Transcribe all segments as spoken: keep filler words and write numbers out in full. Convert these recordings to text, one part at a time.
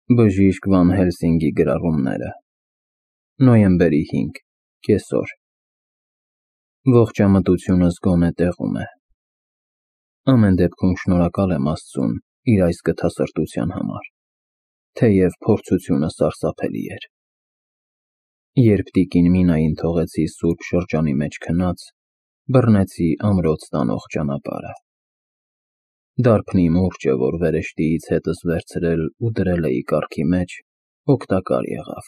Բժիշկ Վան Հելսինգի գրառումները Նոյեմբերի հինգ կեսօր Ողջամտությունս գոնե տեղում է։ Ամեն դեպքում շնորհակալ եմ Աստծուն իր այս գթասրտության համար, թեև փորձությունը սարսափելի էր։ Երբ տիկին Մինային թողեցի սուրբ շրջանի մեջ քնած, բռնեցի ամրոց տանող ճանապարհը։ Դարբնի մուրճը, որ վերեշտիից հետս վերցրել ու դրել էի կառքի մեջ, օգտակար եղավ։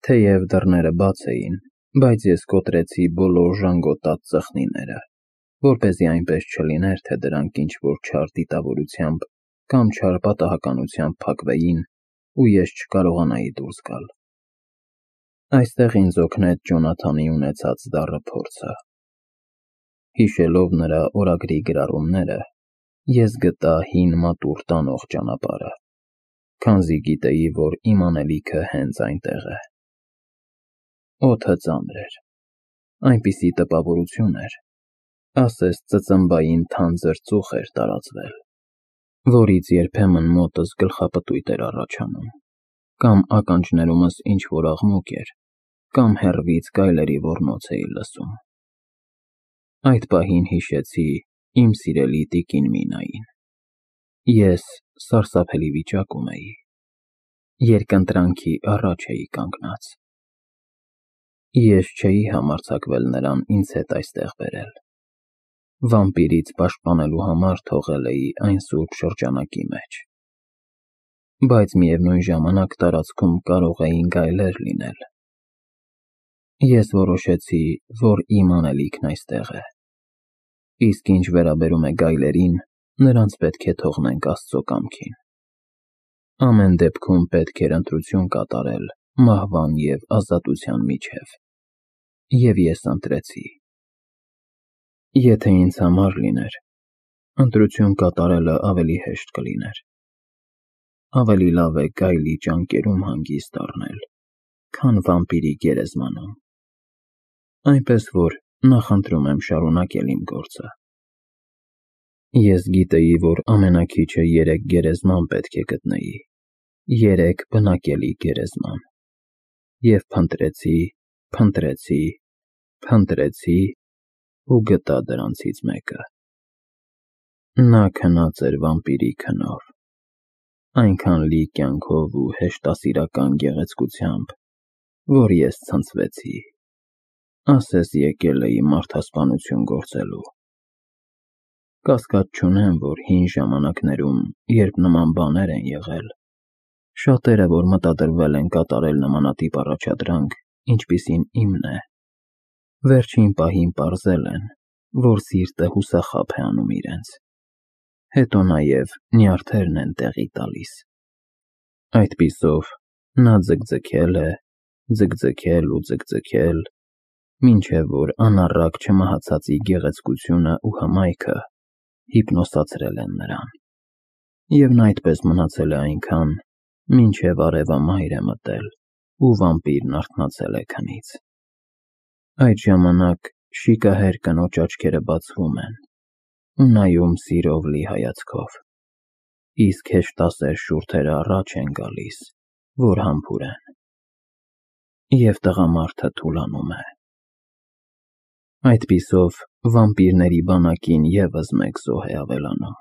Թեև դռները բաց էին, բայց ես կոտրեցի բոլոր ժանգոտած ծխնիները, որպեսզի այնպես չլիներ, թե դրանք ինչ-որ չար դիտավորությամբ կամ չար պատահականությամբ փակվեին, ու ես չկարողանայի դուրս գալ։ Այստեղ ինձ օգնեց Ջոնաթանի ունեցած դառը փորձը։ Հիշելով նրա օրագրի գրառումները, ես գտա հին մատուռ տանող ճանապարհը, քանզի գիտեի, որ իմ անելիքը հենց այնտեղ է։ Օդը ծանր էր, այնպիսի տպավորություն էր, ասես ծծմբային թանձր ծուխ էր տարածվել, որից երբեմն մոտս գլխապտույտ էր առաջանում, կամ ականջներումս ինչ-որ աղմուկ էր, կամ հեռվից գայլերի ոռնոց էի լսում։ Այդ պահին հիշեցի իմ սիրելի տիկին Մինային։ Ես սարսափելի վիճակում էի, երկընտրանքի առաջ էի կանգնած։ Ես չէի համարձակվել նրան ինձ հետ այստեղ բերել։ Վամպիրից պաշտպանելու համար թողել էի այն սուրբ շրջանակի մեջ։ Բայց միևնույն ժամանակ տարածքում կարող էին գայլեր լինել։ Ես որոշեցի, որ իմ անելիքն այստեղ է, իսկ ինչ վերաբերում է գայլերին, նրանց պետք է թողնենք Աստծո կամքին։ Ամեն դեպքում պետք էր ընտրություն կատարել մահվան և ազատության միջև, և ես ընտրեցի։ Եթե ինձ համար լիներ, ընտրություն կատարելը ավելի հեշտ կլիներ։ Ավելի լավ է գայլի ճանկերում հանգիստ առնել, քան վամպիրի գերեզմանում։ Այնպես որ նախընտրում եմ շարունակել իմ գործը։ Ես գիտեի, որ ամենաքիչը երեք գերեզման պետք է գտնեի, երեք բնակելի գերեզման, և փնտրեցի, փնտրեցի, փնտրեցի ու գտա դրանցից մեկը։ Նա քնած էր վամպիրի քնով, այնքան լի կյանքով ու հեշտասիրական գեղեցկությամբ, որ ես ցնցվեցի, ասես եկել էի մարդասպանություն գործելու։ Կասկած չունեմ, որ հին ժամանակներում, երբ նման բաներ են եղել, շատերը, որ մտադրվել են կատարել նմանատիպ առաջադրանք, ինչպիսին իմն է, վերջին պահին պարզել են, որ սիրտը հուսախաբ է անում իրենց, հետո նաև նյարդերն են տեղի տալիս։ Այդպիսով նա ձգձգել է, ձգձգել ու ձգձգել, մինչև որ անառակ չմահացածի գեղեցկությունը ու հմայքը հիպնոսացրել են նրան, և նա այդպես մնացել է այնքան, մինչև արևամայր է մտել ու վամպիրն արթնացել է քնից։ Այդ ժամանակ շիկահեր կնոջ աչքերը բացվում են ու նայում սիրով լի հայացքով, իսկ հեշտասեր շուրթերը առաջ են գալիս, որ համբուրեն, և տղամարդը թուլանում է։ Այդպիսով վամպիրների բանակին ևս մեկ զոհ է ավելանում,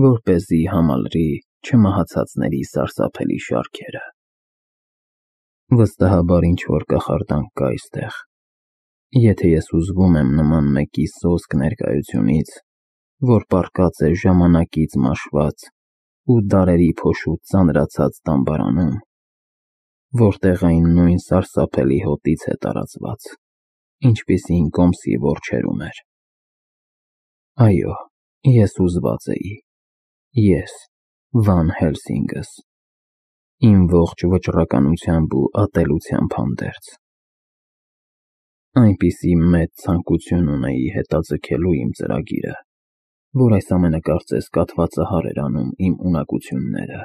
որպեսզի համալրի չմահացածների սարսափելի շարքերը։ Վստահաբար ինչ-որ կախարդանք կա այստեղ, եթե ես հուզվում եմ նման մեկի սոսկ ներկայությունից, որ պառկած է ժամանակից մաշված ու դարերի փոշուտ ծանրացած տամբարանում, որտեղ այն նույն սարսափելի հոտից է տարածված, ինչպիսին Կոմսի որջերում էր։ Այո, ես հուզված էի, ես, Վան Հելսինգս, իմ ողջ վճռականությամբ ու ատելությամբ հանդերձ։ Այնպիսի մեծ ցանկություն ունեի հետաձգելու իմ ծրագիրը, որ այս ամենը կարծես կաթվածահար էր անում իմ ունակությունները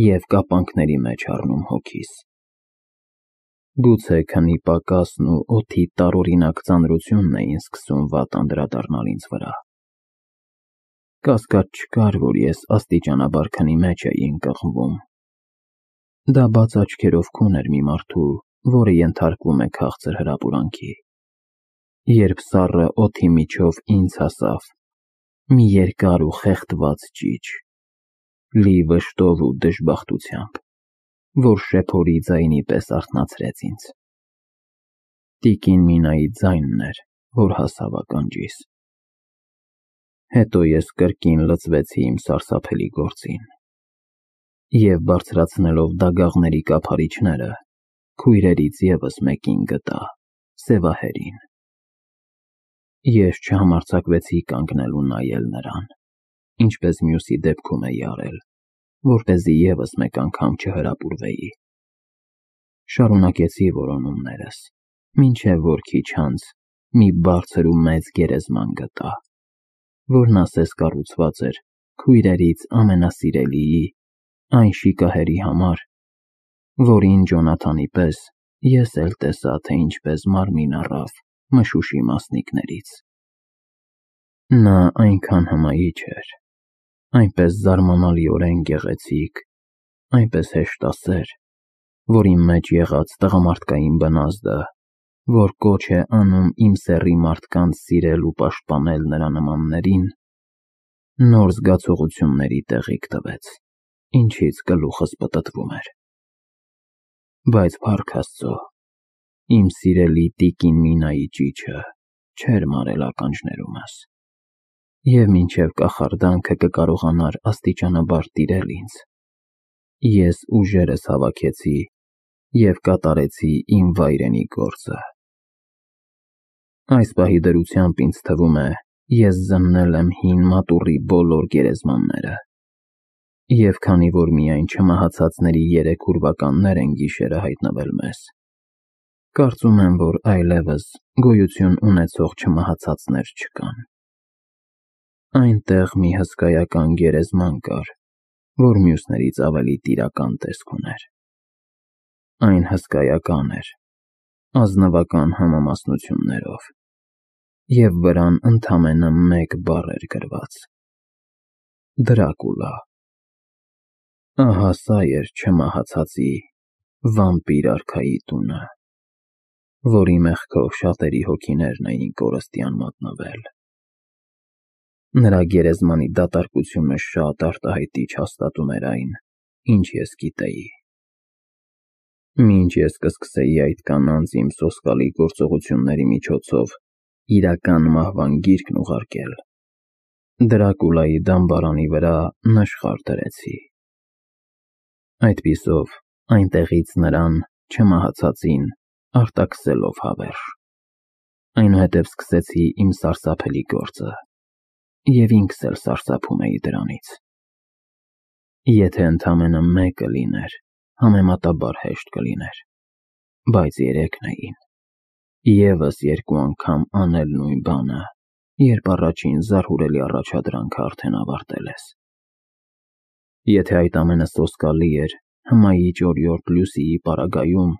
և կապանքների մեջ առնում հոգիս։ Գուցե քնի պակասն ու օդի տարօրինակ ծանրությունն էին սկսում վատ անդրադառնալ ինձ վրա։ Կասկած չկար, որ ես աստիճանաբար քնի մեջ էի ընկղմվում։ Դա բաց աչքերով քուն էր մի մարդու, որը ենթարկվում է քաղցր հրապուրանքի։ Երբ սառը օդի միջով ինձ հասավ մի երկար ու խեղդված ճիչ, լի վշտով ու դժբախտությամբ, որ շեփորի ձայնի պես արթնացրեց ինձ։ Տիկին Մինայի ձայնն էր, որ հասավ ականջիս։ Հետո ես կրկին լծվեցի իմ սարսափելի գործին, և բարձրացնելով դագաղների կափարիչները, քույրերից ևս մեկին գտա, սևահերին։ Ես չհամարձակվեցի կանգնել ու նայել նրան, ինչպես մյուսի դեպքում էի արել, որպեսզի ևս մեկ անգամ չհրապուրվեի։ Շարունակեցի որոնումներս, մինչև որ քիչ անց մի բարձր ու մեծ գերեզման գտա, որն ասես կառուցված էր քույրերից ամենասիրելիի, այն շիկահերի համար, որին Ջոնաթանի պես ես էլ տեսա, թե ինչպես մարմին առավ մշուշի մասնիկներից։ Նա այնքան հմայիչ էր, այնպես զարմանալիորեն գեղեցիկ, այնպես հեշտասեր, որ իմ մեջ եղած տղամարդկային բնազդը, որ կոչ է անում իմ սեռի մարդկանց սիրել ու պաշտպանել նրա նմաններին, նոր զգացողությունների տեղիք տվեց, ինչից գլուխս պտտվում էր։ Բայց փառք Աստծո, իմ սիրելի տիկին Մինայի ճիչը չէր մարել ականջներումս, և մինչև կախարդանքը կկարողանար աստիճանաբար տիրել ինձ, ես ուժերս հավաքեցի և կատարեցի իմ վայրենի գործը։ Այս պահի դրությամբ ինձ թվում է, ես զննել եմ հին մատուռի բոլոր գերեզմանները, և քանի որ միայն չմահացածների երեք ուրվականներ են գիշերը հայտնվել մեզ, կարծում եմ, որ այլևս գոյություն ունեցող չմահացածներ չկան։ Այնտեղ մի հսկայական գերեզման կար, որ մյուսներից ավելի տիրական տեսք ուներ։ Այն հսկայական էր, ազնվական համամասնություններով, և վրան ընդամենը մեկ բառ էր գրված. Դրակուլա։ Ահա սա էր չմահացածի, վամպիր արքայի տունը, որի մեղքով շատերի հոգիներն էին կորստյան մատնվել։ Նրա գերեզմանի դատարկությունը շատ արտահայտիչ հաստատում էր այն, ինչ ես գիտեի։ Մինչ ես կսկսեի այդ կանանց իմ սոսկալի գործողությունների միջոցով իրական մահվան գիրկն ուղարկել, Դրակուլայի դամբարանի վրա նշխար դրեցի։ Այդպիսով այնտեղից նրան, չմահացածին, արտաքսելով հավերժ, այնուհետև սկսեցի իմ սարսափելի գործը, և ինքս էլ սարսափում էի դրանից։ Եթե ընդամենը մեկը լիներ, համեմատաբար հեշտ կլիներ, բայց երեքն էին, ևս երկու անգամ անել նույն բանը, երբ առաջին զարհուրելի առաջադրանքը արդեն ավարտել ես։ Եթե այդ ամենը սոսկալի էր հմայիչ օրիորդ Լուսիի պարագայում,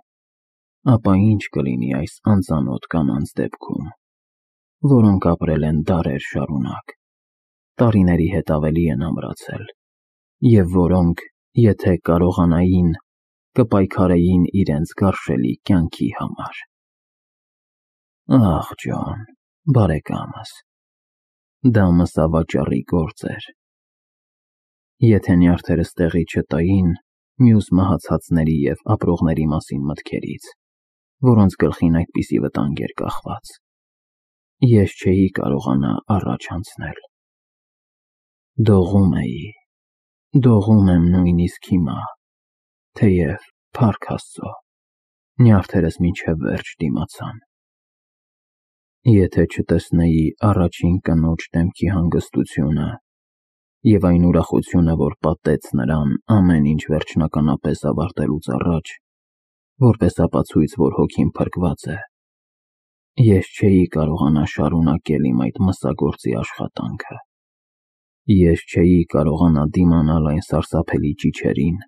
ապա ինչ կլինի այս անծանոթ կանանց դեպքում, որոնք ապրել են դարեր շարունակ, տարիների հետ ավելի են ամրացել, և որոնք, եթե կարողանային, կպայքարեին իրենց գարշելի կյանքի համար։ Ախ, Ջոն, բարեկամս, դա մսավաճառի գործ էր։ Եթե նյարդերս տեղի չտային մյուս մահացածների և ապրողների մասին մտքերից, որոնց գլխին այդպիսի վտանգ էր կախված, ես չէի կարողանա առաջ անցնել։ Դողում էի, դողում եմ նույնիսկ հիմա, թեև, փառք Աստծո, նյարդերս մինչև վերջ դիմացան։ Եթե չտեսնեի առաջին կնոջ դեմքի հանգստությունը և այն ուրախությունը, որ պատեց նրան ամեն ինչ վերջնականապես ավարտելուց առաջ, որպես ապացույց, որ հոգին փրկված է, ես չէի կարողանա շարունակել իմ այդ մսագործի աշխատանքը։ Ես չէի կարողանա դիմանալ այն սարսափելի ճիչերին,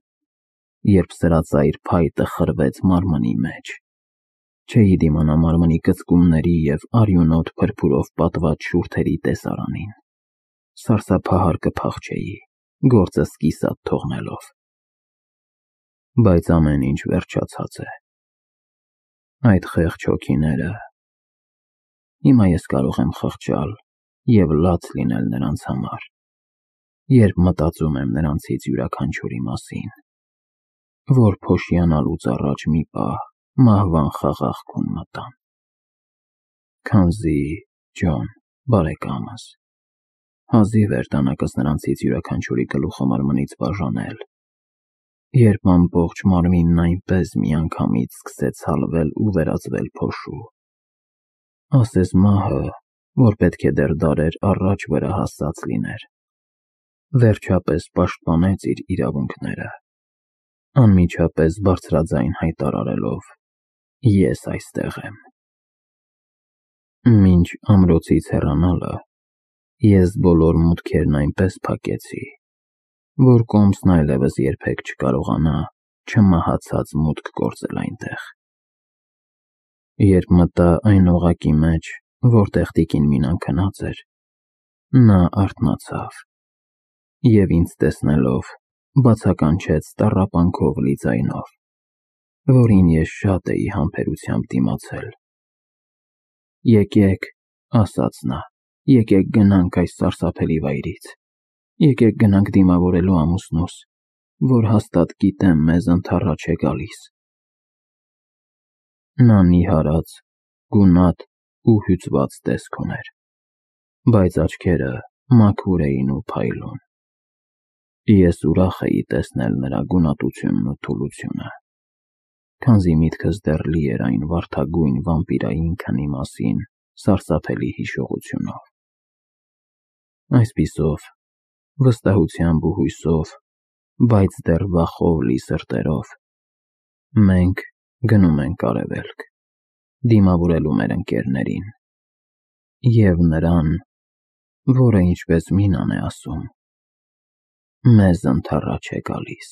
երբ սրածայր փայտը խրվեց մարմնի մեջ, չէի դիմանա մարմնի կծկումների և արյունոտ փրփուրով պատված շուրթերի տեսարանին։ սարսափահար կփախչեի, գործս կիսատ թողնելով։ Բայց ամեն ինչ վերջացած է։ Այդ խեղճ հոգիները… Հիմա ես կարող եմ խղճալ և լաց լինել նրանց համար, երբ մտածում եմ նրանցից յուրաքանչյուրի մասին, որ փոշիանալուց առաջ մի պահ մահվան խաղաղքում մտան։ Քանզի, Ջոն, բարեկամս, հազիվ էր դանակս նրանցից յուրաքանչյուրի գլուխը մարմնից բաժանել, երբ ամբողջ մարմինն այնպես միանգամից սկսեց հալվել ու վերածվել փոշու։ Ասես մահը, որ պետք է դեռ դարեր առաջ վրա հասած լիներ, վերջապես պաշտպանեց իր իրավունքները, անմիջապես բարձրաձայն հայտարարելով. «Ես այստեղ եմ»։ Մինչ ամրոցից հեռանալը ես բոլոր մուտքերն այնպես փակեցի, որ կոմսն այլևս երբեք չկարողանա չմահացած մուտք գործել այնտեղ։ Երբ մտա այն օղակի մեջ, որտեղ տիկին Մինան քնած էր, նա արթնացավ և ինձ տեսնելով բացականչեց տառապանքով լի ձայնով, որին ես շատ էի համբերությամբ դիմացել. «Եկեք», ասաց նա, «եկեք գնանք այս սարսափելի վայրից, եկեք գնանք դիմավորելու ամուսնուս, որ հաստատ գիտեմ մեզ ընդառաջ է գալիս»։ Նա նիհարած, գունատ ու հյուծված տեսք ուներ, բայց աչքերը մաքուր էին ու փայլուն։ Ես ուրախ էի տեսնել նրա գունատությունն ու թուլությունը, քանզի միտքս դեռ լի էր այն վարդագույն վամպիրային քնի մասին սարսափելի հիշողությունով։ Այսպիսով, վստահությամբ ու հույսով, բայց դեռ վախով լի սրտերով, մենք գնում ենք արևելք, դիմավորելու մեր ընկերներին և նրան, որը, ինչպես Մինան է ասում, մեզ ընդառաջ է գալիս։